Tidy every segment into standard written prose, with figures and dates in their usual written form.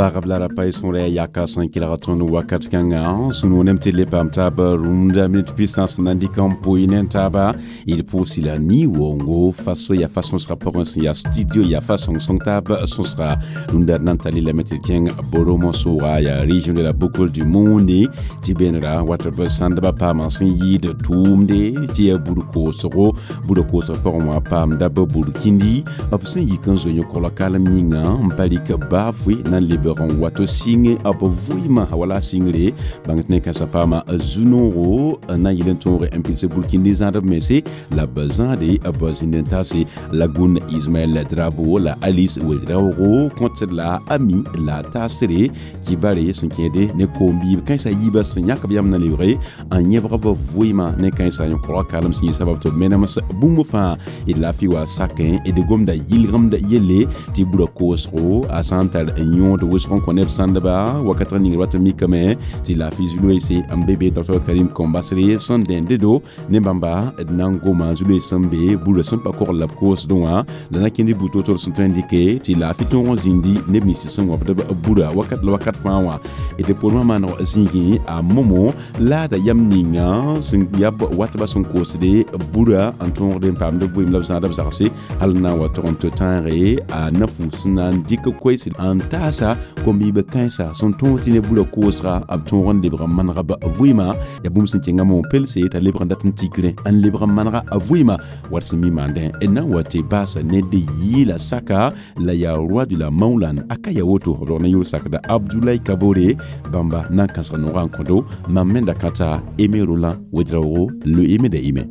Pagb la ra pa y sõra yaka sẽn kelg tõnd wakat kãngã sũ-noog nem tɩ d le paam taab rũmda minit pistã sẽn na n dɩk n pʋɩ ne taaba. D pʋʋsi la ni-waoongo faso yaa fa sõsga pʋgẽ sẽn yaa studio yaa fa sõng-sõng taab sõsga rũndã d na n tall lame tɩ d kẽng Boromo sʋʋga, yaa région de la Boucle du Monde, tɩ beenra wat b sãndbã paamã sẽn yɩɩd tʋʋmde tɩ yaa bur koosgo, burã koosg pʋgẽ wã paamda b burkindi b sẽn yik n zoe yõ-kogla kalem yĩnga n pa rɩk baafʋɩ na n lebg n wato sɩng b vʋɩɩmã wala sɩngre bãng tɩ ne kãensã paama zu-noogo n na n yɩl n tõoge n pids burkindi zãadb mense la b zãade b zĩnd n taase Lagoun Ismaël Drabo la Alice Ouedraogo kõtd la Ami la taasre kibare sẽn kẽede ne koom-biib kãensã yiibã sẽn yãk b yam na lebge n yẽbg b vʋɩɩmã ne kãensã yõ-kogla kalem sẽn yɩ sabab tɩ b menems bũmb fãa d laafɩ wa sakẽ d gomda yɩlgemd yelle tɩ bura koosgo a sã n tar n yõod wʋsg n kõ neb sãndba wakat ning wat n mikame tɩ laafɩ zu-loeese n be be Dr Karim Kombasre sẽn dẽnde-do ne bãmba d na n goma zu-loees sẽn be burã sẽn pa kogl la b koosdẽ wã la na kẽnd bu to-to sẽn tõe n dɩke tɩ laafɩ tõog n zĩndi neb nins sẽn wãbd b burã wakat la wakat fãa wã. D pormã maaneg zĩigẽ a momo laada yam ninga sẽn yab watbã sẽn koosde burã n tõogd n paamd b vɩɩm la b zãada b zagse hal n na n wa tog n tɩ tãage a na-fu sẽn na n dɩk koees n taasa kom-biibã kãensa sẽn tõog tɩ ne burã koosga b tõog n lebg n manega b vɩɩmã yaa bũmb sẽn kẽnga mo pelse t'a lebg n dat n tikrẽ n lebg n manega a vɩɩmã wat sẽn mi maandẽ d na n wa tɩ baasa ned yɩɩla saka la yaa roi de la Maoulan a ka ya woto b rog ne yʋʋr sakda Abdoulaye Kabore bãmba na n kãsg noogã n kõdo mam me da kãta Aimé Roland Ouedraogo le Aimé de Aimé.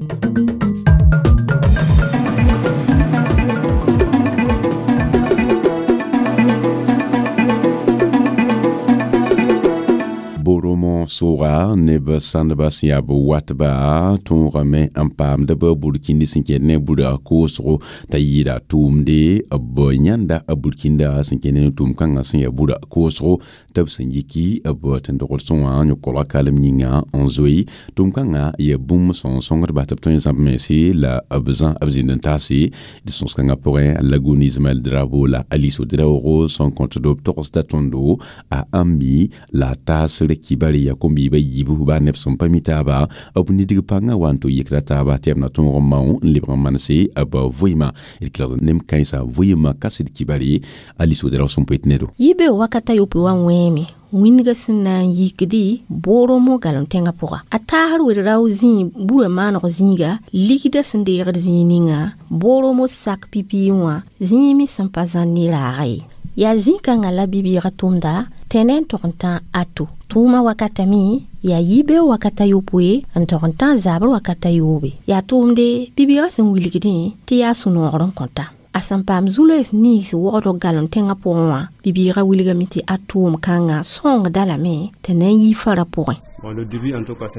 Boromo sʋʋga neb sãndbã sẽn yaa b watba tõogame n paamd b burkindi sẽn kẽed ne burã koosgo t'a yɩɩda tʋʋmde b yãnda b burkinda sẽn kẽed ne tʋʋm-kãngã sẽn yaa burã koosgo tɩ b sẽn yiki b tẽn-dogdsẽ wã yõ-kolga kalem yĩnga n zoe tʋʋm-kãngã yaa bũmb sẽn sõngdba tɩ b tõe n zãmb mense la b zã b zĩnd n taase d sõs-kãngã pʋgẽ Lagoun Ismaël Drabo la Alice Ouedraogo sẽn kõtdo b togsda tõndo a Ami la taasr kibare ya kom-biibã yiibu baa neb sẽn pa mi taaba b nidg pãngã wa n tɩ yikra taaba tɩ b na tõog n mao n lebg n manse b vɩɩmã d kelgd nem kãensã vɩɩmã kaset kibare Alice Ouedraogo sẽn poet nedo. Yibe wakata yopoe wã wẽeme wĩndgã sẽn na n yikdi Boromo galem tẽngã pʋga a taasr wed-rao zĩig burã maaneg zĩiga ligdã sẽn deegd zĩig ninga Boromo sak pipi wã zĩig me sẽn pa zãr ne raaga ye yaa zĩ-kãngã la bi-bɩɩgã tʋmda tẽne n tog n tã ato tʋʋmã wakata me yaa yibeoog wakata yopoe n tog n tã zabr wakata yoobe yaa tʋʋmde bi-bɩɩgã sẽn wilgdẽ tɩ yaa sũ-noogr n kõta a sẽn paam zu-loees nins wogdg galem tẽngã pʋgẽ wã bi-bɩɩgã wilgame tɩ a tʋʋm kãngã sõngda lame tɩ na n yi fara pʋgẽ.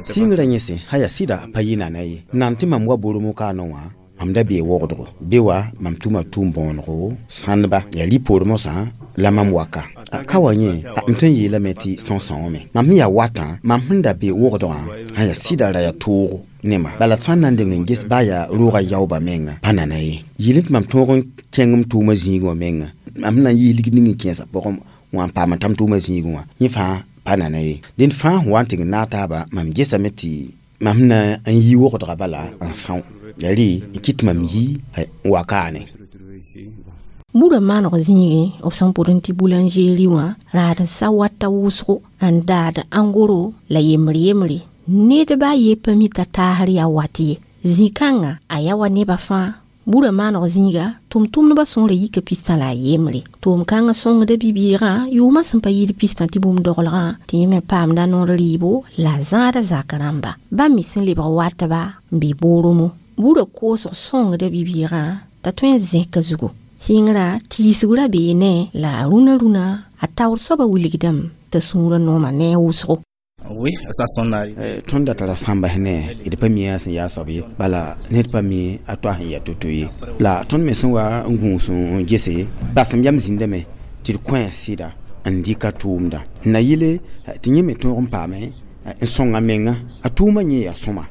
Sɩngrã yẽse sã yaa sɩda pa yɩ nana ye nan tɩ mam wa Boromo kaanẽ wã mam da bee wogdgo be wa mam tʋma tʋʋm bõonego sãndba yaa rɩ-poor mosã la mam waka ka wa yẽ m tõe n yeelame tɩ sõng-sõngame mam sẽn yaa watã mam sẽn da be wogdgã sã yaa sɩda ra yaa toogo ne ma bala sã n na n deng n ges baa yaa roogã yaoobã menga pa nana ye yɩl tɩ mam tõog n kẽng m tʋʋmã zĩigẽ wã menga mam sẽn na n yɩɩs ligd ning n kẽesã pʋgẽ wã n paam n tam tʋʋmã zĩigẽ wã yẽ fãa pa nana ye dẽnd fãa sẽn wa n tɩg n naag taaba mam gesame tɩ mam sẽn na n yi wogdga bala n são yaa rɩ n kɩt mam yi n wa kaane. Burã maaneg zĩigẽ b sẽn pʋd n tɩ boulangerie wã raad n sa wata wʋsgo n daad angoro la yembr yembre ned ba ye pa mi t'a taasr yaa wat ye zĩ-kãngã a yaa wa nebã fãa burã maaneg zĩiga tʋm-tʋmdbã sõora yika pistã la a yembre tʋʋm-kãngã sõngda bi-bɩɩgã yʋʋmã sẽn pa yɩɩd pistã tɩ bũmb doglgã tɩ yẽ me paamda noor rɩɩbo la a zãada zak rãmba bãmb me sẽn lebg watba n be Boromo burã koosg sõngda bi-bɩɩgã t'a tõe n zẽka zugu sɩngrã tiisg ra bee ne la a rũnã rũnã a taoor soabã wilgdame t'a sũurã nooma ne a wʋsgo. Tõnd da tara sãmba ne d pa mi a sẽn yaa soab ye bala ned pa mi a toa sẽn yaa to-to ye la tõnd me sẽn wa n gũus n gese basem yam zĩndame tɩ d kõ a sɩda n dɩka tʋʋmda n na yɩle tɩ yẽ me tõog n paame n sõng a menga a tʋʋmã yẽ yaa sõma.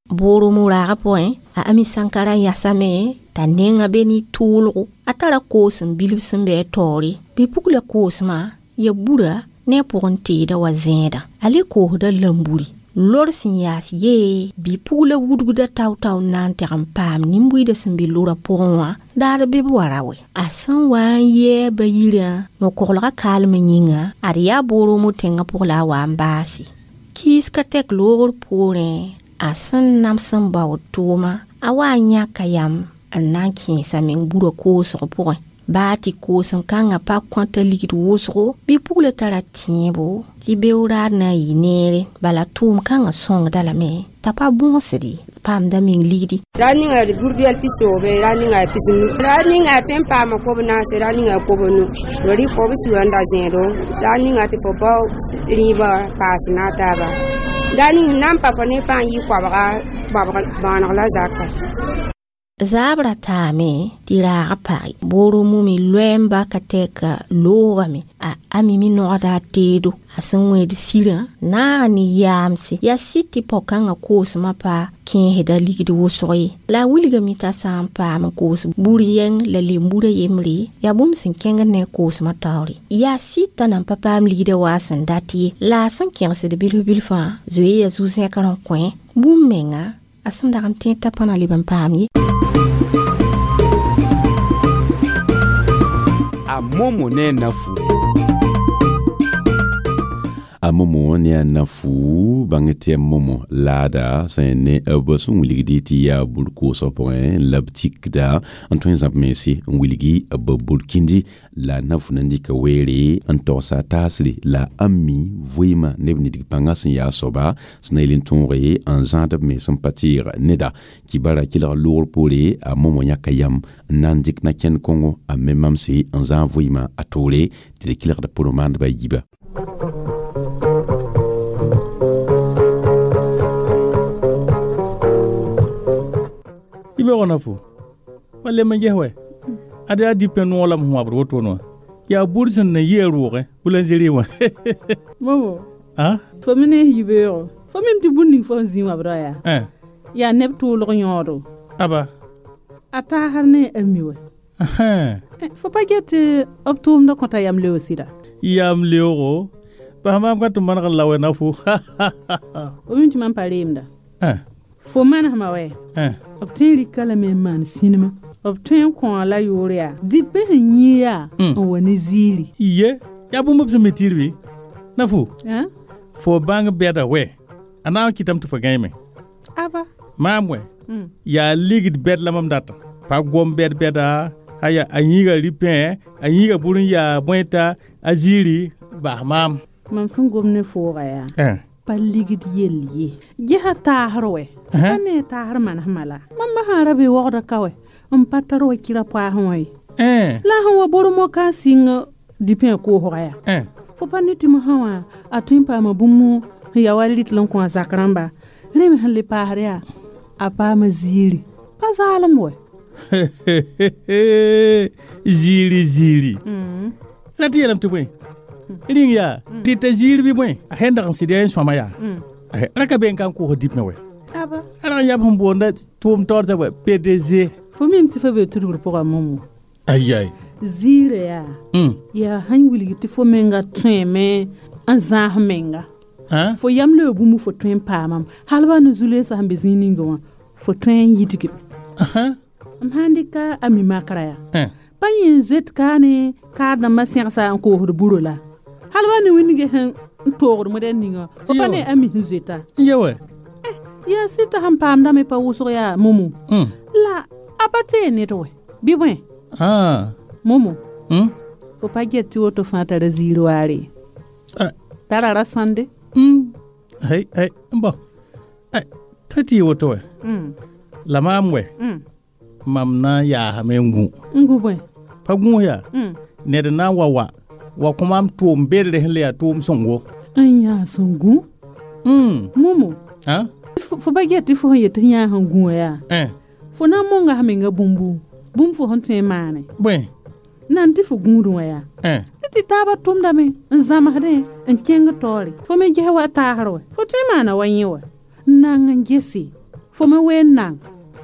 Boromo raaga pʋgẽ a Ami Sankara yasame t'a nenga be ne tʋʋlgo a tara koosem bilf sẽn be a taoore bɩ-pugla koosmã ya bura ne a pʋgẽ teeda wa zẽeda a le koosda lamburi lor sẽn yaas yee bɩ-pugla wudgda tao-tao n na n teg n paam nin-buiidã sẽn be lora pʋgẽ wã daar bɩ b wa ra wɛ a sẽn wa n yɛɛ ba yirã yõ-koglgã kaalmã yĩnga ad yaa booromo tẽngã pʋg la a wa n baase kiis ka tɛk loogr poorẽ a sẽn nams n baood tʋʋma a wa n yãka yam n na n kẽesa meng burã koosg pʋgẽ baa tɩ koosem kãngã pa kõta ligd wʋsgo bɩ pugla tara tẽebo tɩ beoraad na n yɩ neere bala tʋʋm kãngã sõngda lame t'a pa bõosd ye paamda meng ligdi ra ninga burbɛl pisoobe ra ninga pisnu ra ninga tẽn paama kob naase ra ninga kob nu ri kob suã n da zẽedo ra ninga tɩ fo bao rĩibã paas na a taaba ra ning na n pa fo ne pãa n yɩ koabga bãaneg la zaka Zaabra taame tɩ raagã page booromo me loɛɛmba ka tɛka loogame a Ami me nogda a teedo a sẽn wẽed sirã naaga ne yaamse yaa sɩd tɩ pao-kãngã koosmã pa kẽesda ligd wʋsg ye la a wilgame t'a sã n paam n koos bur yɛng la lemburã yembre yaa bũmb sẽn kẽngd ne a koosmã taoore yaa sɩd t'a nan pa paam ligdã waa sẽn dat ye la a sẽn kẽgsd bilf bilfã zoe ya zu-zẽkr n kõ bũmb menga a sẽn dag n tẽed t'a pa na leb n paam ye. A Momo ne Nafu. A Momo ne a Nafu bãng tɩ a Momo laada sẽn ne b sẽn wilgdi tɩ yaa bur koosg pʋgẽ la b tikda n tõe n zãb mense n wilgi b burkindi la Nafu na n dɩka weere n togsa a taasre la Ami vɩɩmã neb nidg pãngã sẽn yaa soaba sẽn na yel n tõoge n zãad b mens n pa tɩɩg neda kibara kelg loogr poore a Momo yãka yam n na n dɩk na kẽnd kõngo a me mamse n zãag vɩɩmã a toore tɩ d kelgd pʋrmaandbã yiba. Ibe Nafu pa lem n ges wɛ ad yaa dipẽ noog la m wãbd wotone wã yaa bur sẽn na yɩ a roogẽ boulangerie wã. Momo fo me ne yibeoogo fo mim tɩ bũn ning fo sẽn zĩ wãbdã yaa yaa neb tʋʋlg yõodo aba a taasr ne a mi wɛ fo pa get tɩ b tʋʋmdã kõta yam leoog sɩda yam leoogo bas maam ka tɩ maneg n la wɛ Nafu. Fo mim tɩ mam pa reemda fo manesmã wɛ b tõe n rɩka lame n maan sĩnema b tõe n kõ la yʋʋr yaa dipẽ sẽn yĩi yaa n wa ne ziiri ye yaa bũmb b sẽn mi tɩr bɩ Nafu fo bãng bɛda wɛ a na n kɩtame tɩ fo gãeme aba maam wɛ yaa ligd bɛd la mam data pa gom bɛd bɛda aya a yĩiga ripẽ a yĩiga bur n yaa bõeta a ziiri bas maam mam sẽn gom ne fooga yaa pa ligd yell ye gesa taasr wɛ pa ne taasr manesmã la mam sã ra be waoogda ka wɛ n pa tar wa kɩra poaasẽ wã ye la sẽn wa bormo ka n sɩng dipẽ koosga yaa fo pa ne tɩ mosã wã a tõe n paama bũmb sẽn ya wa rɩtl n kõ a zak rãmba rẽ me sẽn le paasd yaa a paama ziiri pa zaalem wɛ ziiri ziiri la tɩ yeelame tɩ bõe rĩng yaa rɩta ziir bɩ bõe a sẽn dag n sɩd yaa n sõama yaa ra ka be n ka n koos dipmẽ wɛ a rag n yab sẽn boonda tʋʋm taoor t'a wɛ PDG fo mim tɩ fo be tudgr pʋga momo ayai ziirã yaa yaa sãn wilg tɩ fo menga tõeme n zãas menga fo yam leo bũmb fo tõe n paamam hal ba ne zu-leesã sẽn be zĩig ninga wã fo tõe n yidgem m sãn dɩka a mi makra yaa pa yẽ n zoet kaane kaad-dãmbã sẽgsa n koosd buro la hal ba ne wĩnge sẽn n toogd modɛl ninga fo pa ne a mi sẽn zoeta ye wɛ yaa sɩd t'a sẽn paamdame pa wʋsg yaa momo la a pa tee ned wɛ bɩ bõe momo fo pa get tɩ woto fãa tara ziir waare tara ra sãnde hay bõ tõe tɩ yɩ woto wɛ la maam wɛ mam na n yaasame n gũ n gu bõe pa gũus yaa ned na n wa wa kõ maam tʋʋm bedre sẽn le yaa tʋʋm sõngo n yaa sẽn gũ momo fo pa get tɩ fo sẽn yet tɩ yãa sẽn gũ wã yaa fo na n monga sã menga bũmbu bũmb fo sẽn tõe n maane bõe nan tɩ fo gũudẽ wã yaa tɩ taabã tʋmdame n zãmsdẽ n kẽng taoore fo me ges wa taasr wɛ fo tõe n maana wa yẽ wɛ n nang n gese Fo me ween nang.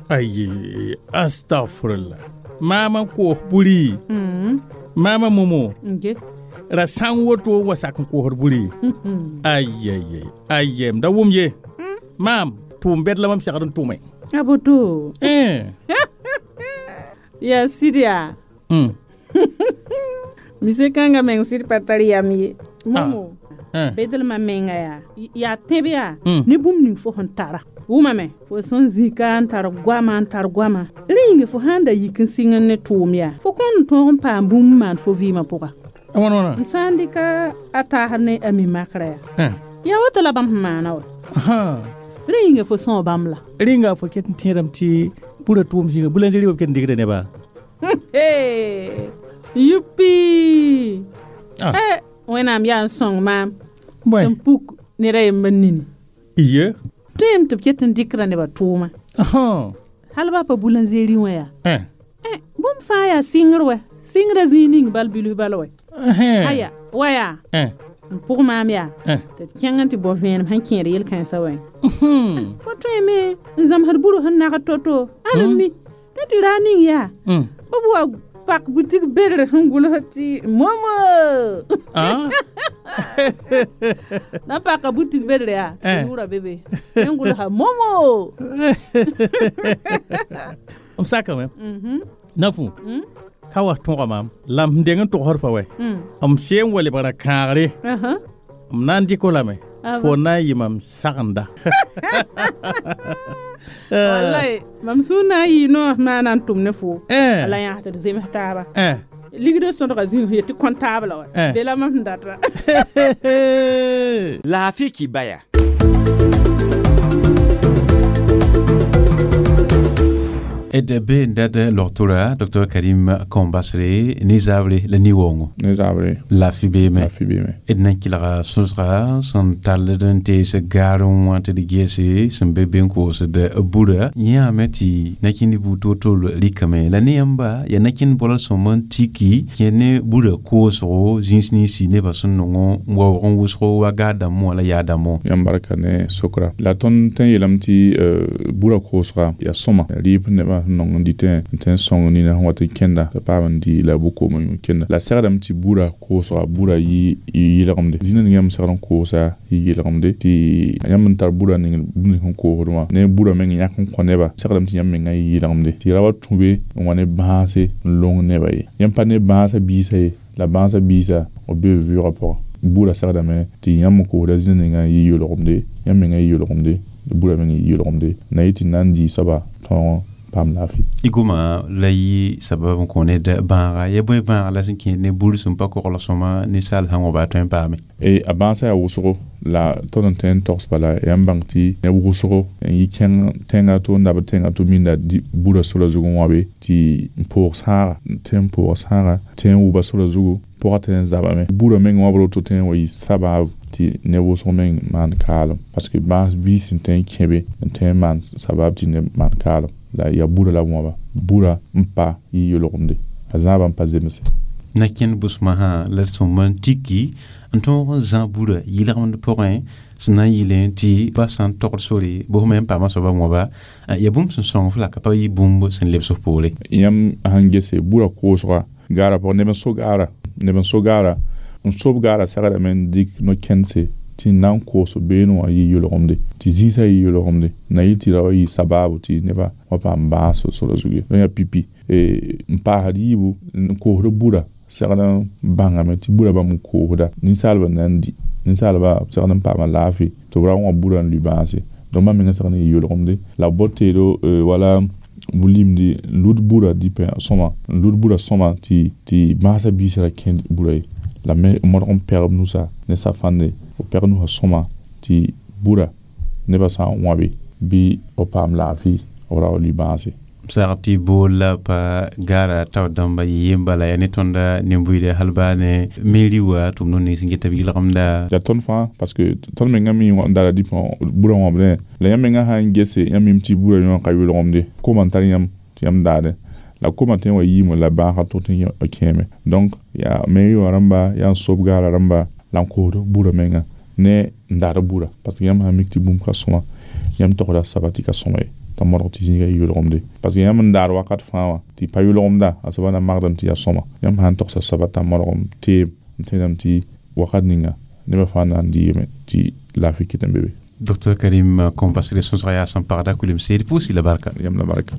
Ayi, astagfirullah. Maama n koos buri. Maama momo. Ra sã n woto wa sak n koosd buri. Ayayay, aye, m da wʋm ye. Maam, tʋʋm bɛd la mam segd n tʋme. A boto. Ya sɩd yaa. Mise kãngã meng sɩd pa tar yam ye. Momo. Bedelmã menga yaa. Yaa tẽb yaa. Ne bũmb ning fo sẽn tara. Wʋmame fo sẽn zĩka n tar goama n tar goama. Rẽ yĩnga fo sãn da yik n sɩng ne tʋʋm yaa. Fo kõn n tõog n paam bũmb n maan fo vɩɩmã pʋga. Wãna. M sã n dɩka a taasd ne a mi makrã yaa. Yaa woto la bãmb sẽn maana wa. Rẽ yĩnga fo sõo bãmb la. Rẽnga fo ket n tẽedame tɩ burã tʋʋm zĩnga boulangerie b ket n dɩgda neba. Yupi! Wẽnnaam yaa n sõng maam. N puk ned a yembr nini. Iye. Tõem tɩ b ket n dɩkra nebã tʋʋma. Hal ba pa boulangerie wã yaa. Bũmb fãa yaa sɩngr wɛ. Sɩngrã zĩig ning bal bilf bal wɛ. Aya, wa yaa. N pʋg maam yaa. Tɩ d kẽng n tɩ bao vẽenem sẽn kẽed yel-kãensã wɛ. Fo tõeme n zãmsd buru sẽn nagd to-to. Ãn n mi. Tɩ tɩ raa ning yaa. B wa pak boutique bedr sẽn gʋls tɩ momo. Na paka boutique bedr yaa. Yʋʋra be be. Sẽn gʋlsa momo. M sakame. Nafu. Ka wa tõga maam. La m deng n togsd fa wɛ. M seen wa lebgra kãagre. M na n dɩk lame. Fo na n yɩ mam sagenda. Wallahi, mam sũur na n yɩ noor maana n tʋm ne fo. La yãas tɩ d zems taaba. Ligd sõdga zĩig sẽn yet tɩ comptable wa. Be la mam sẽn data. Laafɩ kibaya. D be n dad logtora Dr Karim Kombasre ne zabre la ni-waoongo. Ne zabre. Laafɩ beeme. Laafɩ beeme. D na n kelga sõsga sẽn tall n tees gaarẽ wã tɩ d gese sẽn be be n koosd burã yãame tɩ nakẽnd buud to-to rɩkame la ne yãmba yaa nakẽnd bol sõm n tiki kẽ ne burã koosgo zĩis ninsi nebã sẽn nongo n waoog n wʋsgo wa gaar dãmbẽ wã la yaa dãmbẽ. Yãmb barka ne sokra. La tõnd tõe n yeelame tɩ burã koosga yaa sõma rɩɩb nebã sẽn nong n dɩtẽ n tõe n sõng nina sẽn wat n kẽnda t'a paam n dɩ la bʋ-koom n kẽnda la segdame tɩ burã koosga burã yɩ yɩlgemde zĩna ning yãmb segd n koosa yɩ yɩlgemde tɩ yãmb n tar burã ning bũmb ning sẽn koosd wã ne burã meng yãk n kõ neba segdame tɩ yãmb mengã yɩ yɩlgemde tɩ ra wa tũ be n wa ne bãase n long neba ye yãmb pa ne bãasã biisã ye la bãasã biisã b be b vɩʋʋgã pʋgã burã segdame tɩ yãmb n koosda zĩna ninga yɩ yolgemde yãmb mengã yɩ yolgemde burã meng yɩ yolgemde na yɩ tɩ na n dɩ soaba tõog paam laafɩ. Y goma la yɩ sabab n kõ ned bãaga ya bõe bãag la sẽn kẽ ne bur sẽn pa kogl sõma ninsaal sã n wa baa tõe n paame. A bãasã yaa wʋsgo la tõnd n tõe n togs bala yaa n bãng tɩ neb wʋsgo n yɩ kẽng tẽnga to n dabd tẽnga to minda burã sora zug n wãbe tɩ n poog sãaga tõe n poog sãaga tõe n wʋba sora zugu pʋgã tõe n zabame burã meng wãbr woto tõe n wa yɩ sabaab tɩ neb wʋsg meng maan kaalem parce que bãas biis n tõe n kẽbe n tõe n maan sabab tɩ neb maan kaalem la yaa burã la wãba burã n pa yɩ yolgemde a zãabã n pa zemse. Nakẽnd bʋsmã sã la d sõm n tiki n tõog n zã burã yɩlgemd pʋgẽ sẽn na n yɩlẽ tɩ ba sã n togd sore bʋsm n paama soaba wãba yaa bũmb sẽn sõng f la ka pa yɩ bũmb sẽn lebs f poore. Yãmb sãn gese burã koosga gaarã pʋgẽ neb n so gaara neb n so gaara n sob gaarã segdame n dɩk no-kẽndse tɩ n na n koos beene wã yɩ yolgemde tɩ zĩisã yɩ yolgemde na yɩ tɩ ra wa yɩ sabaabo tɩ nebã wa paam bãas sora zug ye. Donc yaa pipi n paasd yiibu n koosd burã segd n bãngame tɩ burã bãmb n koosda ninsaalbã na n dɩ ninsaalbã segd n paama laafɩ tɩ b ra wã burã n lʋɩ bãase donc bãmb mengã segd n yɩ yolgemde la b bot teedo wala limdi n lud burã dɩpẽ sõma n lud burã sõma tɩ bãasã biisã ra kẽnd burã ye la me modg n pɛgb nusa ne safãnde b pɛg nusã sõma tɩ burã nebã sã n wãbe bɩ b paam laafɩ b ra wa lʋɩ bãase. Sag tɩ bool la pa gaara tao dãmba yɩ yem bala yaa ne tõnda nin-buiide hal baa ne meri wa tɩ b no ning sẽn get b yɩlgemda. Yaa tõnd fãa parce que tõnd mengã mi n dara dɩpẽ burã wãbdẽ la yãmb mengã sã n gese yãmb mim tɩ burã yõ ka yolgemde koma n tar yãmb tɩ yãmb daadẽ la koma tõe n wa yiime la bãasga tʋg tɩ kẽeme donc yaa meri wã rãmba yaa n sob gaara rãmba la n koosd burã menga ne n daad burã parce que yãmb sã n mik tɩ bũmb ka sõma yãmb togda saba tɩ ka sõma ye. t'a modg tɩ zĩigã yɩ yʋlgemde parce que yãmb n daar wakat fãa wã tɩ pa yʋlgemda a soaba na magdame tɩ yaa sõma yãmb sã n togsa soaba t'a modgem teem n tẽedame tɩ wakat ninga nebã fãa na n dɩɩme tɩ laafɩ kɩt n be be. Dr Karim Kompasre sõsga yaa sẽn pagda kulemse d pʋʋs la barka. Yãmb la barka.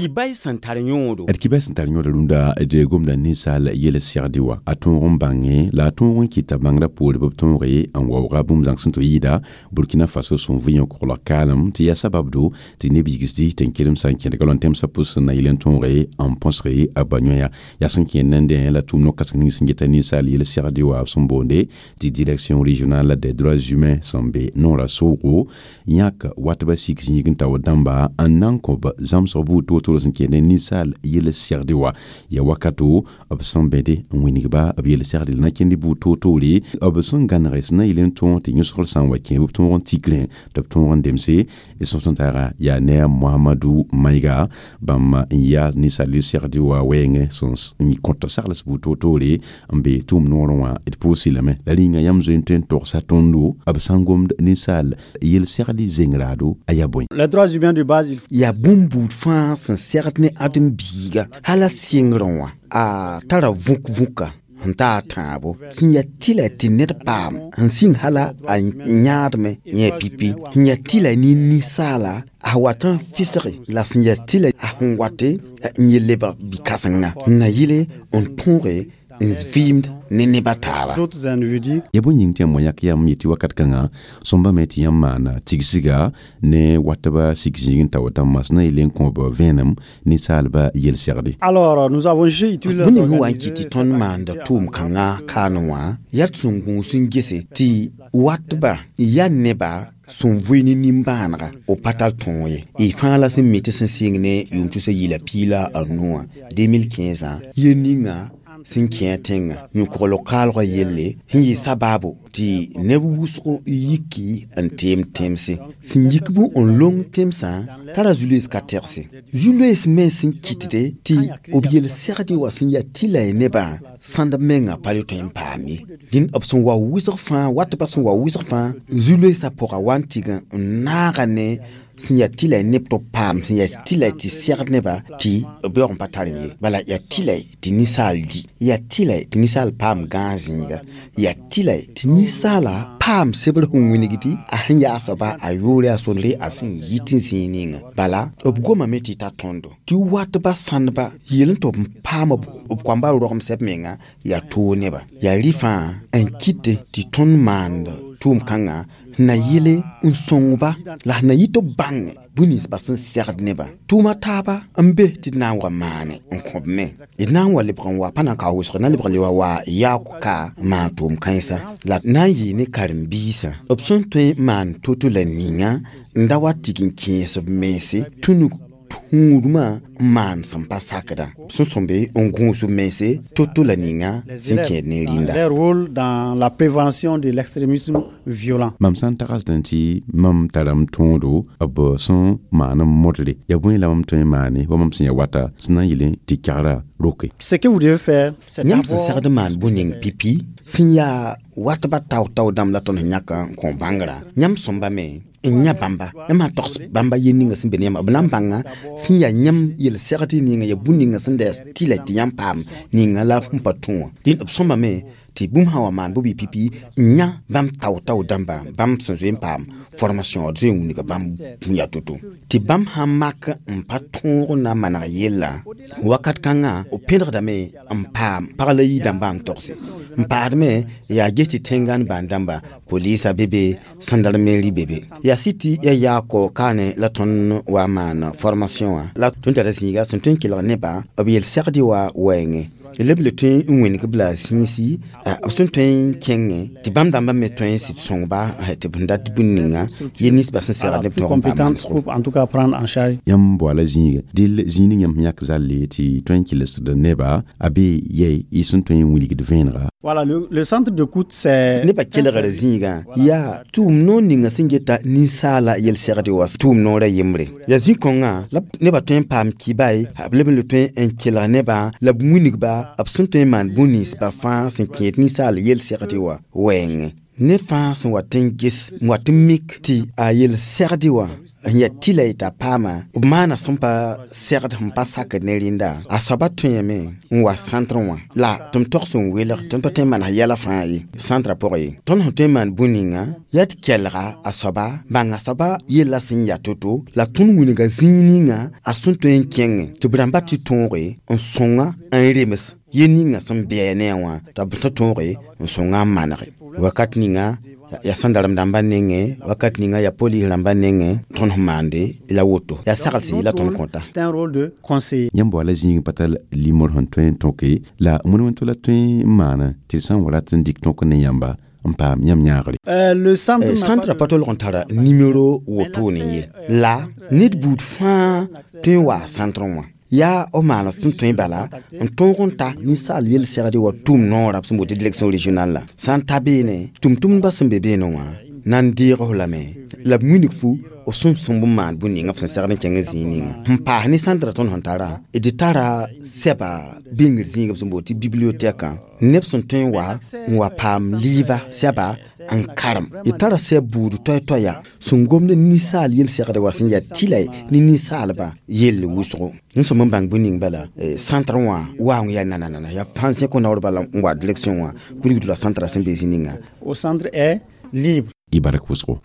Kibay sẽn tar yõodo. D kibay sẽn tar yõodo rũndã d gomda ninsaal yel-segd wã a tõog n bãnge la a tõog n kɩta bãngrã poore bɩ b tõoge n waooga bũmb zãng sẽn tɩ yɩɩda Burkina Faso sẽn vɩ yõ-koglg kaalem tɩ yaa sababdo tɩ neb yigsdi tɩ n kelem sã n kẽdga lõ tẽmsã pʋs na yel n tõoge n põsge a ba yõya yaa sẽn kẽnd nendẽ la tʋʋm no-kãseng ning sẽn geta ninsaal yel-segd wã b sẽn boonde tɩ Direction régionale des droits humains sẽn be noorã soogo yãk watba sik zĩig n taoor dãmba n na n kõb zãmsg buud to-to sẽn kẽnd ninsaal yel-segd wã ya wakato b sẽn bẽde n wingba b yel-segd la na kẽnd buud to-toore b sẽn gãnege sẽn na yel n tõog tɩ yõsgr sã n wa kẽ b tõog n tikrẽ tɩ b tõog n demse sõs n taaga yaa ne a Mohamadu Maïga bãmb n yaa ninsaal yel-segd wã wɛɛngẽ sẽn kõt sagls buud to-toore n be tʋʋm noorẽ wã d pʋʋsɩ lame la rĩnga yãmb zoe n tõe n togsa tõndo b sã n gomd ninsaal yel-segd zeng-raado a yaa bõe. Les droits humains de base, yaa bũmb buud fãa sẽn segd ne ãdem-biiga hala sɩngrẽ wã a tara vũk-vũka sẽn ta a tãabo sẽn yaa tɩla tɩ ned paam sẽn sĩng hala a yãadme yẽ pipi sẽn yaa tɩla ne ninsaala a wat n fɩsge la sẽn yaa tɩla a sẽn wate n yel lebg bi-kãsenga n na yɩle n tõoge n vɩɩmd ne nebã taaba. D'autres individus. Ya bõe yĩng tɩ yãmb wã yãk yam yetɩ wakat kãngã sõmba me tɩ yãmb maana tigsga ne watba sik zĩig n taoor dãmbã sẽn na yel n kõb vẽenem ninsaalba yel-segde. Alors, nous avons jugé utile bũmb ning wa n kɩt tɩ tõnd maanda tʋʋm kãngã kaane wã yaa d sẽn gũus n gese tɩ watba yaa neba sẽn vʋɩ ne nimbãanega b pa tar tõog ye y fãa la sẽn mi tɩ sẽn sɩng ne yʋʋm tusa yila piig la a nu wã 2015 yel ninga sẽn kẽ tẽngã yõ-kogl kaalgã yelle sẽn yɩ sabaabo tɩ neb wʋsg yiki n teem tẽmse sẽn yik bũ n long tẽmsã tara zu-loees ka tɛgse zu-loees me sẽn kɩtde tɩ b yel-segd wã sẽn yaa tɩ la y nebã sãnd mengã pa le tõe n paam ye dĩn b sẽn wa wʋsg fãa watbã sẽn wa wʋsg fãa zu-loeesã pʋga wa n tɩg n naaga ne sẽn yaa tɩ la y neb tɩ b paam sẽn yaa tɩ la tɩ segd nebã tɩ b yaoog n pa tar ye bala yaa tɩ la tɩ ninsaal di yaa tɩ la tɩ ninsaal paam gãag zĩiga yaa tɩ la tɩ ninsaala paam sebr sẽn wingdi a sẽn yaa soaba a yʋʋre a sõndre a sẽn yit n zĩig ninga bala b gomame tɩ ta tõndo tɩ watba sãndba yel n tɩ b paam b koamba rogem sɛb menga yaa toog neba yaa rɩ fãa n kɩte tɩ tõnd maand tʋʋm kãngã na yele n sõngba la na yɩ tɩ b bãnge bũmb ninsba sẽn segd nebã tʋʋma taaba n be tɩ d na n wa maane n kõb me d na n wa lebg n wa pa na n ka wʋsg na lebg le wa wa yaak ka n maan tʋʋm kãensa la na n yɩɩ ne karen-biisã b sẽn tõe n maan to-to la ninga n da wa tɩg n kẽes b mense tũnug tũudmã n maan sẽn pa sakdã sẽn sõmbe n gũus b mense to-to la ninga sẽn kẽed ne rĩnda. Leur rôle dans la prévention de l'extrémisme violent. Mam sã n tagsdẽ tɩ mam tara m tõodo b sẽn maan n modre yaa bõe la mam tõe n maane wa mam sẽn yaa wata sẽn na n yɩl tɩ kɛgra roke. Ce que vous devez faire, c'est yãmb sẽn d'abord segd maan bũ-ning pipi sẽn yaa watba tao-tao dãmb la tõnd sẽn yãk n kõ bãngrã yãmb sõmba me n yã bãmba yãmb sã n togs bãmba yel ninga sẽn be ne yãmba b na n bãnga sẽn yaa yãmb yel-segd ninga yaa bũmb ninga sẽn da tɩ la tɩ yãmb paam ninga la sẽn pa tũ wã dẽn b sõmbame tɩ bũmb sã wa maan bʋ bɩ pipi n yã bãmb tao-tao dãmba bãmb sẽn zoe n paam formation d zoe n wilga bãmb bũn yaa to-to tɩ bãmb sã n mak n pa tõog na n maneg yella wakat kãngã b pẽdgdame n paam pag la yi dãmbã n togse n paadme yaa ges tɩ tẽngan bãan dãmba polisa be be gendarmerie be be yaa sɩ tɩ ya yaako kaane la tõnd wa maan formation wã la tõnd tara zĩiga sẽn tõe n kelg nebã b yel-segd wa wɛɛngẽ leb le tõe n wĩneg b la zĩisi b sẽn tõe n kẽngẽ tɩ bãmb dãmbã me tõe n sɩd sõngba tɩ b sẽn dat bũn ninga yel ninsbã sẽn segd neb plus tõog n paam compétente manesgo. pour en tout cas prendre en charge. Yãmb boala zĩiga dɩl zĩig ning yãmb sẽn yãk zalle tɩ tõe n kɩlsd neba a be yɛi y sẽn tõe n wilgd vẽenega. Voilà, le centre d'écoute, c'est Nebã kelgr zĩigã yaa tʋʋm noor ninga sẽn geta ninsaala yel-segd wa tʋʋm noorã yembre yaa zĩ-kõngã la nebã tõe n paam kibae b leb n le tõe n kelg nebã la b wilgba b sẽn tõe n maan bũmb ninsbã fãa sẽn kẽed ninsaal yel-segd wa wɛɛngẽ. Ned fãa sẽn wat n ges n wat n mik tɩ a yel-segdɩ wã n yaa tɩla t'a paama b maana sẽn pa segd sẽn pa sakd ne rẽnda a soaba tõeme n wa centre wã la tɩ m tog sẽn welg tɩ m pa tõe n maan yɛla fãa ye centrã pʋgẽ ye. Tõnd sẽn tõe n maan bũn-ninga yaa tɩ kelga a soaba bãng a soaba yella sẽn yaa to-to la tõnd wilga zĩig ninga a sẽn tõe n kẽngẽ tɩ b rãmba tɩ tõoge n sõnga n rems yel ninga sẽn bɩ ne a wã t'a b tɩ tõoge n sõnga n manege wakat ninga ya sãndarem rãmbã nengẽ wakat ninga ya polis rãmbã nengẽ tõnd sẽn maande la woto ya saglse la tõnd kõta. C'est un rôle de conseiller. Yãmb wa la zĩig pa tar limor sẽn tõe n tõke la wẽnd la tõe n maana tɩ sã n wa rat n dɩk tõk ne yãmba n paam yãmb yãagre. Le centre centre pa tolg n tara nimero wotone ye la ned buud fãa tõe n waa centre wã yaa f maan sẽn tõe bala n tõog n ta ninsaal yel-segd wa tʋʋm noorã b sẽn boot direction régionale la sã n ta beene tʋm-tʋmdbã sẽn be beene wã na n deeg f lame la b wilg fu f sẽn sõmb n maan bũn ninga f sẽn segd n kẽng zĩig ninga sẽn paas ne centrã tõnd sẽn tara d tara sɛba bĩngr zĩig b sẽn boot tɩ bibliothèque neb sẽn tõe n wa n wa paam liiva sɛba n karem d tara sɛb buud toɛ-toɛya sẽn gomd ninsaal yel-segd wa sẽn yaa tɩla ne ninsaalba yell wʋsgo n sõm n bãng bũn ning bala centre wã wa n yaa nananana yaa fãa sẽn kõ naoor bala n wa direction wã wilgd la centrã sẽn be zĩ ninga. Au centre est libre. Y bark wʋsgo.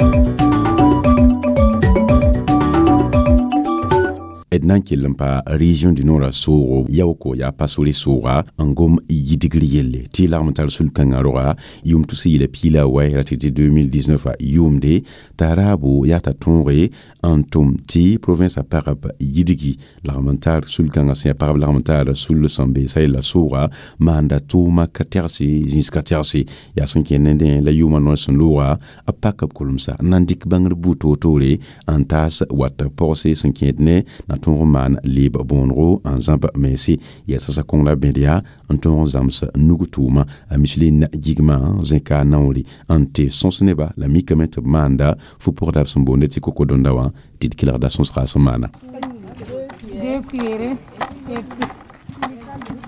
D na n kell n pa région du nord soogo yaooko yaa pasore sooga n gom yidgr yelle tɩ lagm n tar sul-kãngã roga yʋʋm tus yɩla piila wɛ ra tɩ tɩ 2019 a yʋʋmde t'a raabo yaa t'a tõoge n tʋm tɩ province a pagb yidgi lagm n tar sul-kãngã sẽn yaa pagb lagm n tar sul sẽn be sa yella sooga maanda tʋʋma ka tɛgse zĩis ka tɛgse yaa sẽn kẽ nendẽ la yʋʋmã noor sẽn looga b pak b kolmsa n na n dɩk bãngr buud toor-toore n taas wat pɔgse sẽn kẽed ne na tõog n maan leeb bõonego n zãb mense yaa sasa kõng la bẽd yaa n tõog n zãms nug tʋʋma a Micheline gigmã zẽka naoore n tɩ sõs neba la mikame tɩ b maanda fu-pʋgda b sẽn boonde tɩ kokodõnda wã tɩ d kelgda sõsga sẽn maana.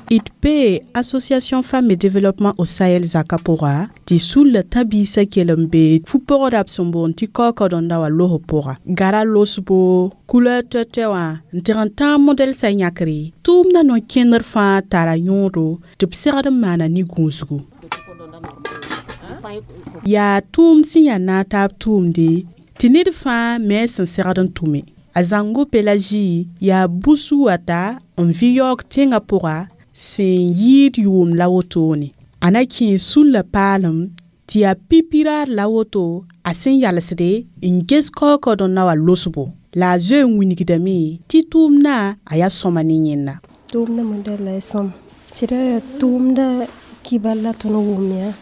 ITP, Association Femmes et Développement au Sahel zaka pʋga tɩ sulla tã-biisã kell n be fu-pʋgda b sẽn boond tɩ kaokaodõnda wã los pʋga gara losbo couleur toɛ-toɛ wã n tɩg n tãag modɛl sa yãkre tʋʋmdã no-kẽndr fãa tara yõodo tɩ b segd n maana ne gũusgu yaa tʋʋmd sẽn yaa naag taab tʋʋmde tɩ ned fãa me sẽn segd n tʋme a zãngo Pélagie yaa busu wata n vɩ yaoog tẽngã pʋga sẽn yɩɩd yʋʋm la wotone a na kẽe sulla paalem tɩ yaa pipiraar la woto a sẽn yalsde n ges kaokaoodõnda wã losbo la a zoe n wilgdame tɩ tʋʋmdã a yaa sõma ne yẽnda. Tʋʋmdã modɛl la y sõm sɩda yaa tʋʋmdã kibal la tõnd wʋm yaa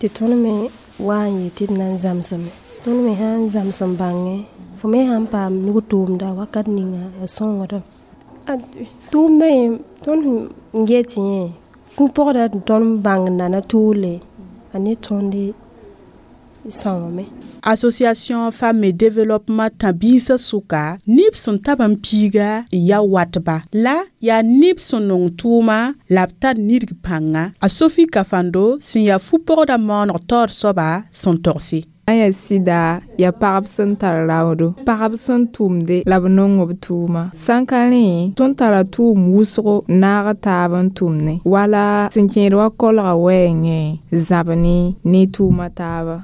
tɩ tõnd me wa n yetɩ d na n zãmsame tõnd me sã n zãms n bãngẽ fo me sã n paam nug tʋʋmda wakat ninga a sõngdame tʋʋmdã yẽ tõnd n get yẽ fu-pʋgda tɩ tõnd bãng nana tʋʋle a ne tõnd sãoome. Association Femmes et Développement tã-biisã sʋka neb sẽn tab n piiga n ya watba la yaa neb sẽn nong tʋʋma la b tar nidg pãnga a Sophie Kafando sẽn yaa fu-pʋgda maooneg taoor soaba sẽn togse. Yaa sɩda yaa pagb sẽn tar raoodo pagb sẽn tʋmde la b nong b tʋʋma sãn ka rẽ tõnd tara tʋʋm wʋsgo naag taab n tʋmne wala sẽn kẽed wa kolga wɛɛngẽ zãb ne ne tʋʋma taaba.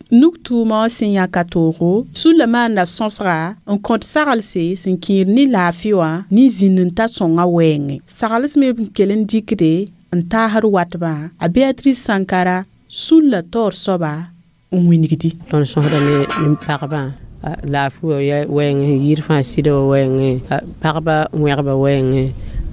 Nug tʋʋma wã sẽn yãka toogo sulla maanda sõsga n kõt saglse sẽn kẽed ne laafɩ wã ne zĩnd n ta sõngã wɛɛngẽ sagls me n kell n dɩkde n taasd watbã a Béatrice Sankara sulla taoor soaba n wilgdi. Tõnd sõsda ne pagbã laafɩ wã wɛɛngẽ yir fãa sɩda wã wɛɛngẽ pagba wẽgba wɛɛngẽ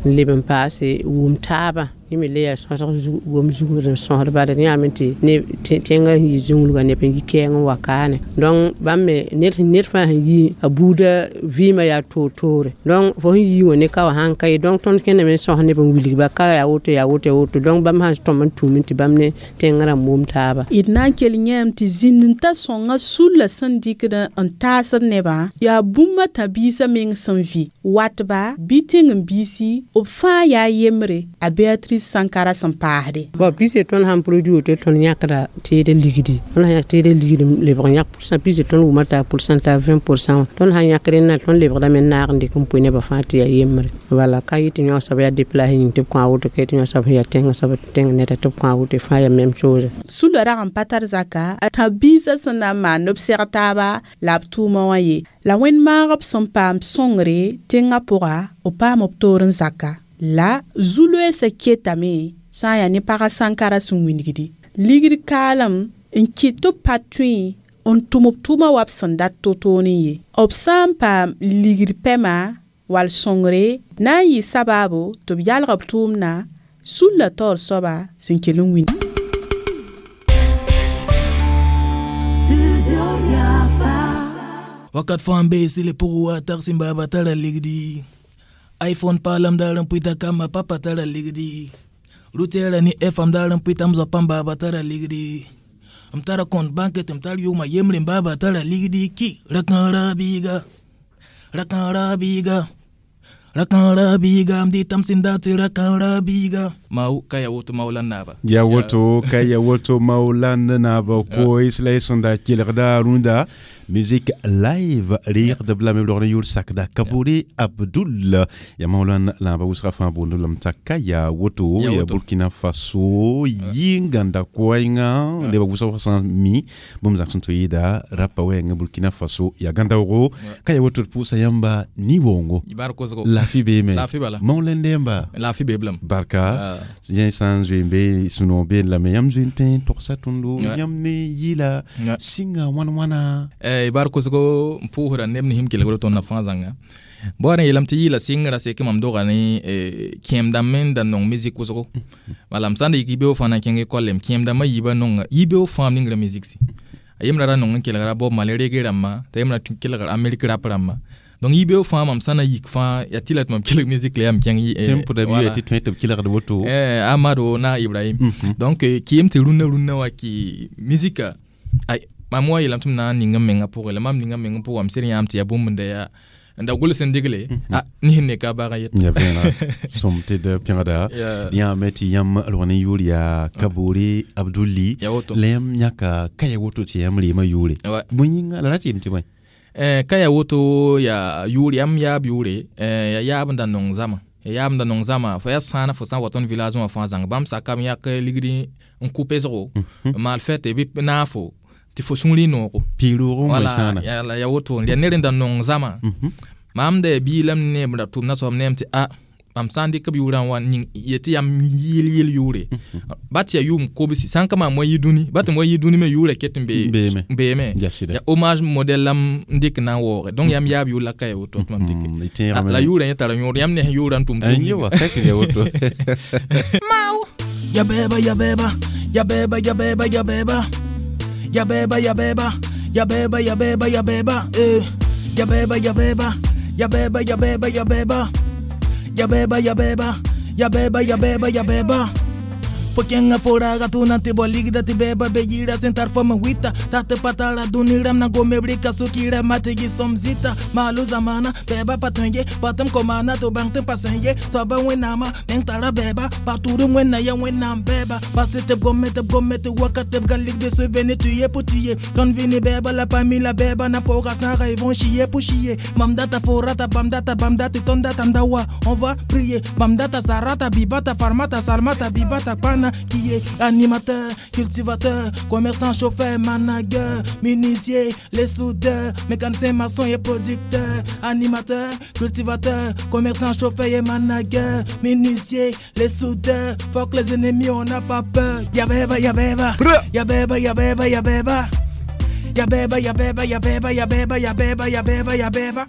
n leb n paase wʋm taabã yẽ me le yaa sõsg wom zugd n sõsd bala yãame tɩ tẽngã sẽn yi zũnglgã neb n yi kɛɛng n wa kaane donc bãmb me ned fãa sẽn yi a buudã vɩɩmã yaa toor-toore donc fo sẽn yi wã ne ka wã sãn ka ye donc tõnd kẽndame n sõs neb n wilgba ka yaa woto yaa woto yaa woto donc bãmb sãn tõm n tũum tɩ bãmb ne tẽngã rãmb wʋm taaba. D na n kell yãame tɩ zĩnd n ta sõngã sulla sẽn dɩkd n taasd nebã yaa bũmb tã-biisã meng sẽn vɩ watba bɩ tẽng-biisi b fãa yaa yembre a Béatrice tãb-biis sãnkara sẽn paasde. Bon pise tõnd sãn produit woto tõnd yãkda teed ligdi. Tõnd sã yãk teed ligd lebg n yãk pourcent pise tõnd wʋma t'a pourcentage 20 pourcent wã. Tõnd sãn yãk rẽnna tõnd lebgdame n naag n dɩk n pʋɩ nebã fãa tɩ yaa yembre. Wala ka yɩ tɩ yõ soab yaa déplace yĩng tɩ b kõ a woto ka yɩ tɩ yõ soab sẽn yaa tẽngã soab tɩ tẽng neda tɩ b kõ a woto fãa yaa même chose. Sula rag n pa tar zaka a tãb-biisã sẽn na n maan b seg taaba la b tʋʋma wã ye. La wẽnd maag b sẽn paam sõngre tẽngã pʋga b paam b toor n zaka. La zu-loeesã ketame sã n yaa ne pagã sãnkara sẽn wilgdi. Ligd kaalem n kɩt tɩ b pa tõe n tʋm b tʋʋma wa b sẽn dat to-toor n ye. B sã n paam ligd pɛma wall sõngre na n yɩ sabaabo tɩ b yalg b tʋʋmdã sulla taoor soaba sẽn kell n wĩnd. Wakat fãa n bee sɩle pʋgẽ wa tag sẽn baaba tara ligdi. iPhone paalam daar n pʋɩta kamba papa tara ligdi. Rutɛɛra ne FM daar n pʋɩta m zoa pãmb baaba tara ligdi. M tara compte banque tɩ m tar yʋʋma yembre n baaba tara ligdi ki rakãara biiga. Rakãara biiga. Rakãara biiga m dɩtam sẽn dat tɩ rakãara biiga. Mau ka ya woto maulan naba. Ya woto ka ya woto maulan naba ko isla sẽn da kelgda rũndã musique live rɩɩgdb la me logr n yʋʋr sakda Kabore Abdul. Ya maulan lãaba wʋsga fãa boond lame t'a ka yaa woto ya Burkina Faso yɩ-gãnda koɛɛngã neba wʋsg sã n mi. Bũmb zãgs sẽn tɩ yɩɩda rapa wɛɛngã Burkina Faso ya gãndaoogo ka ya woto d pʋʋsa yãmba ni-woongo laafɩ beeme maulan yãmba laafɩ be blam barka. Yẽ sã n zoe n be sũ-noog been lame yãmb zoe n tõe n togsa tõndo yãmb ne yɩla sɩnga wãn-wãna bar kosgo n pʋʋsda neb ne sẽm kelgd tõndã fãa zãnga bõa rẽ yeelame tɩ yɩla sɩngrã sek mam doga ne kẽem-dãmb me n da nong musique wʋsgo wala m sã n da yik yibeoog fãa na n kẽng école m kẽem-dãmbã yiibã nonga yibeoog fãa m ningra musique si. A yembrã ra nong n kelgra Bob Marley reggae rãmba t'a yembrã kelgr Amérique rap rãmba donc yibeoog fãa mam sã na yik fãa yaa tɩ la tɩ mam kelg musique la yaa m kẽng tẽn pʋda bɩ tɩ tõe tɩ b kelgd woto. Amado na Ibrahim. Donc kɩɩm tɩ rũnnã rũnnã wa kɩ musique ay mam wa yeelame tɩ m na n ning m mengã pʋgẽ la mam ninga m mengã pʋgã m sɩd yãam tɩ yaa bũmb n da yaa n da gʋls n digle a ne sẽn ne ka baga yet. Ya vẽenega sõm tɩ d pẽgda yãame tɩ yãmb rog ne yʋʋr yaa Kabore Abduli. La yãmb yãka ka ya woto tɩ yãmb reema yʋʋre bõe yĩnga la ra tɩ yem tɩ bõe ka ya woto yaa yʋʋr yãmb yaab yʋʋre yaa yaab n da nong zama. Ya yaab n da nong zama. Fo yaa sãana fo sã n wa tõnd village wã fãa zãng bãmb sakame yãk ligd n kʋ pesgo n maal fɛte bɩ naafo tɩ fo sũurẽ noogo wala ya woto yaa ned n da nong zama. Mam da yaa biilame ne b da tʋmda soab neem tɩ a mam sã n dɩk b yʋʋrã n wa ning yetɩ yam yɩl yɩl yʋʋre ba tɩ yaa yʋʋm kobsi sã n ka maam wa yi dũni ba tɩ m wa yi dũni me yʋʋrã ket n beeme yaa hommage modèle la m dɩk na n waooge donc yam yaab yʋʋr la ka ya woto tɩ mam dɩke la yʋʋrã yẽ tara yõod yãmb ne sẽn yʋʋrã n tʋm tʋm Mau ya beba ya beba ya beba ya beba ya beba ya beba ya beba ya beba ya beba ya beba eh. Ya beba ya beba ya beba ya beba ya beba. Ya beba ya beba ya beba ya beba ya beba Pokenga foraga tuna te boligda te beba beyira sentar fama wita. Tate patara duniram na gome brika sukira mategi somzita. Malu zamana beba patunye patam komana to bang tem pasenye saba wenama meng tara beba paturu wena ya wena beba. Pasete gome te gome te wakate galik de se vene tuye potiye ton vini beba la pamila beba na poga sara ils vont chier pour chier. Mamdata forata bamdata bamdata tondata ndawa on va prier. Bamdata sarata bibata farmata salmata bibata pana qui est animateur, cultivateur, commerçant, chauffeur, manager, menuisier, les soudeurs, mécanicien, maçon et producteur, animateur, cultivateur, commerçant, chauffeur et manager, menuisier, les soudeurs, fuck les ennemis, on n'a pas peur. Yabeba, yabeba, yabeba, yabeba, yabeba, yabeba, yabeba, yabeba, yabeba, yabeba, yabeba, yabeba.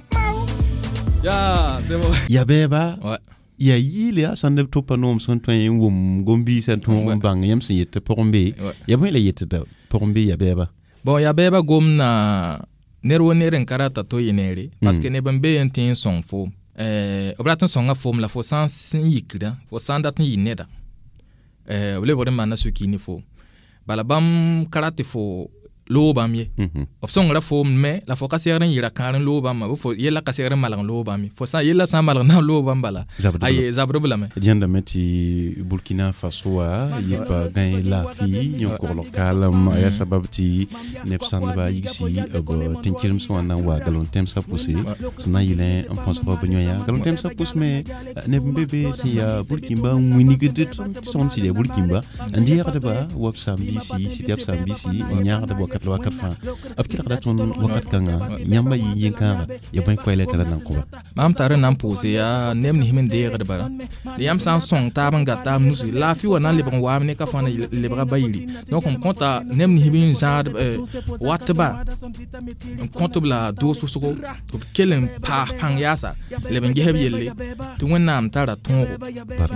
Ya, c'est bon. Yabeba. Ouais. Yaa yɩɩl yaa sãn neb tʋpa noom sẽn tõe n wʋm gom-biisã tõog n bãng yãmb sẽn yet tɩ pʋgẽ be ya bõe la yet tɩ pʋgẽ be ya bɛɛba bon ya bɛɛba gomna ned wo ned n ka rata to yɩ neere parce que neb n bee n tẽ n sõng foom b rat n sõnga foom la fo sã n sẽn yikdã fo sã n dat n yɩ neda. B lebgd n maana sũ-kiir ne foom bala bãmb ka rat tɩ fo Loog bãmb ye. B sõngra foom me la fo ka segd n yɩ ra-kãar n loog bãmba bɩ fo yella ka segd n malg n loog bãmb ye. Fo sã yella sã n malg na n loog bãmb bala. Aye zabdb lame. Dẽndame tɩ Burkina Faso wã yɩpa gãe laafɩ yõ-koglg kaalem a yaa sabab tɩ neb sãndba yigsi b tẽn-kelemsẽ wã na n wa galon-tẽmsã pʋse sẽn na n yɩlẽ n põsg b yõ-yã galon-tẽmsã pʋs me neb n be be sẽn yaa Burkimba n wingd tõnd sɩd yaa Burkimba n deegdba wa b saam-biisi sɩd yaa b saam-biisi n yãagdb wakat la wakat fãa b kelgda tõnd wakat kãnga yãmba yɩ yen-kãaga ya bõe koɛɛla tara nan kõ ba. Mam tar n na n pʋʋse yaa neb nins me deegd bara la yãmb sã n sõng taab n gat taab nusi laafɩ wa na n lebg n waame ne ka fãa na lebga bayiri. Donc m kõta neb nins n zãad watba n kõt b la doos wʋsgo tɩ b kell n paas pãng yaasa leb n ges b yelle tɩ Wẽnnaam tara tõogo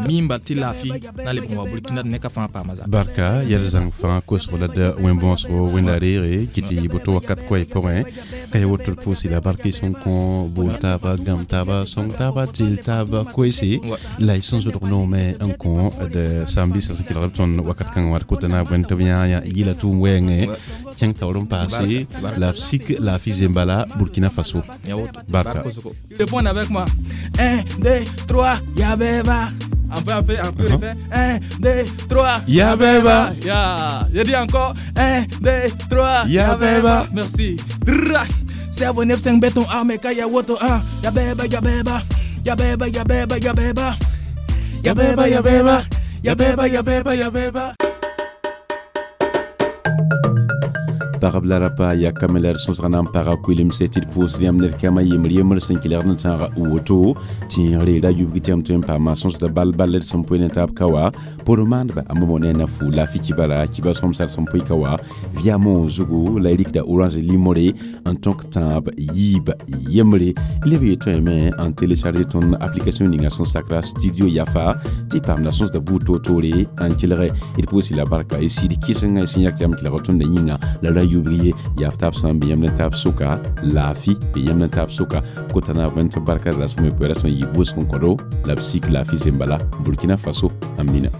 miimba tɩ laafɩ na lebg n wa Burkina tɩ ne ka fãa paama zaka. Barka yɛl zãng fãa kosg la d wẽn-bõosgo wẽnda reege kɩ tɩ boto wakat koɛɛ pʋgẽ ka ya woto d pʋʋse la barka y sẽn kõ bool taaba gãmb taaba sõng taaba teel taaba koeese la y sẽn zʋdg noome n kõ d saam-biisã sẽn kelgd b tõnd wakat kãngã wã d kota naab wẽnd tɩ b yã yɩla tʋʋm wɛɛngẽ kẽng taoor n paase la b sik laafɩ zembala Burkina Faso. Barka. Répondre avec moi. 1, 2, 3, Yabeba. Un peu, un peu, un peu, refait. 1, 2, 3. Yabeba. Ya. Je dis encore. 1, 2, 3. Yabeba. Merci. 7, 9, 5, béton, armé, kaya, woto, 1. Yabeba, yabeba. Yabeba, yabeba, yabeba. Yabeba, yabeba. Yabeba, yabeba, yabeba. Pagb la rapa ya kame la d sõsg na n paga kuilemse tɩ d pʋʋsd yãmb ned kãma yembre yembr sẽn kelgd n tãag woto tẽegre ra yubg tɩ yãmb tõe n paama sõsda bal bal d sẽn poe ne taab ka wa por maandba a momo ne na fu laafɩ kibara kiba sõmsar sẽn poe ka wa viamo zugu la y rikda Orange limore n tõk tãab yiib yembre leb ye tõeme n télécharger tõnd application ninga sẽn sakra Studio Yafa tɩ paamda sõsda buud toor-toore n kelge d pʋʋs la barka y sɩd kɩsenga y sẽn yak yãmb kelg tõnda yĩnga la ra yubg ye yaa taab sã n be yãmb ne taab sʋka laafɩ be yãmb ne taab sʋka kota naab wẽnd tɩ barka rasme poe rasmã yɩ wʋsg n kõdo la b sik laafɩ zembala Burkina Faso amina.